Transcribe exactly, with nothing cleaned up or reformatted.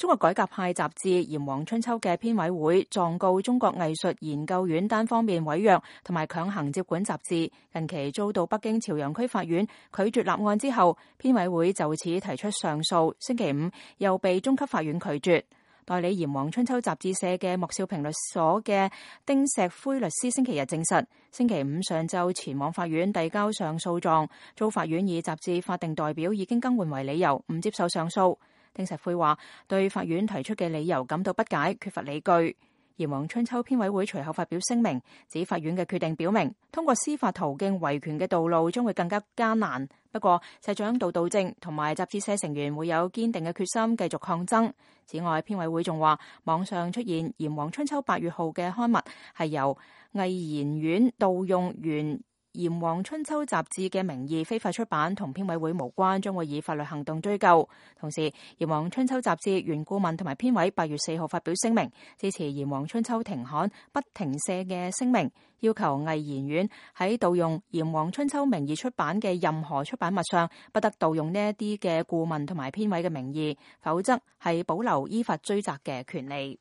中國改革派雜誌《炎黃春秋》嘅編委會狀告中國藝術研究院單方面違約同埋強行接管雜誌，近期遭到北京朝陽區法院拒絕立案之後，編委會就此提出上訴，星期五又被中級法院拒絕。代理《炎黃春秋》雜誌社嘅莫少平律所嘅丁石灰律師星期日證實，星期五上晝前往法院遞交上訴狀，遭法院以雜誌法定代表已經更換為理由，唔接受上訴。丁石灰話對法院提出嘅理由感到不解，缺乏理據。炎黃春秋編委會隨後發表聲明，指法院嘅決定表明，通過司法途徑維權嘅道路將會更加艱難。不過，社長杜道正同埋雜誌社成員會有堅定嘅決心繼續抗爭。此外，編委會仲話，網上出現《炎黃春秋》八月號嘅刊物係由藝研院盜用原《炎黃春秋》雜誌嘅名義非法出版，同編委會無關，將會以法律行動追究。同時，《炎黃春秋》雜誌原顧問同埋編委八月四號發表聲明，支持《炎黃春秋》停刊不停卸嘅聲明，要求藝研院喺盜用《炎黃春秋》名義出版嘅任何出版物上，不得盜用呢一啲嘅顧問同埋編委嘅名義，否則係保留依法追責嘅權利。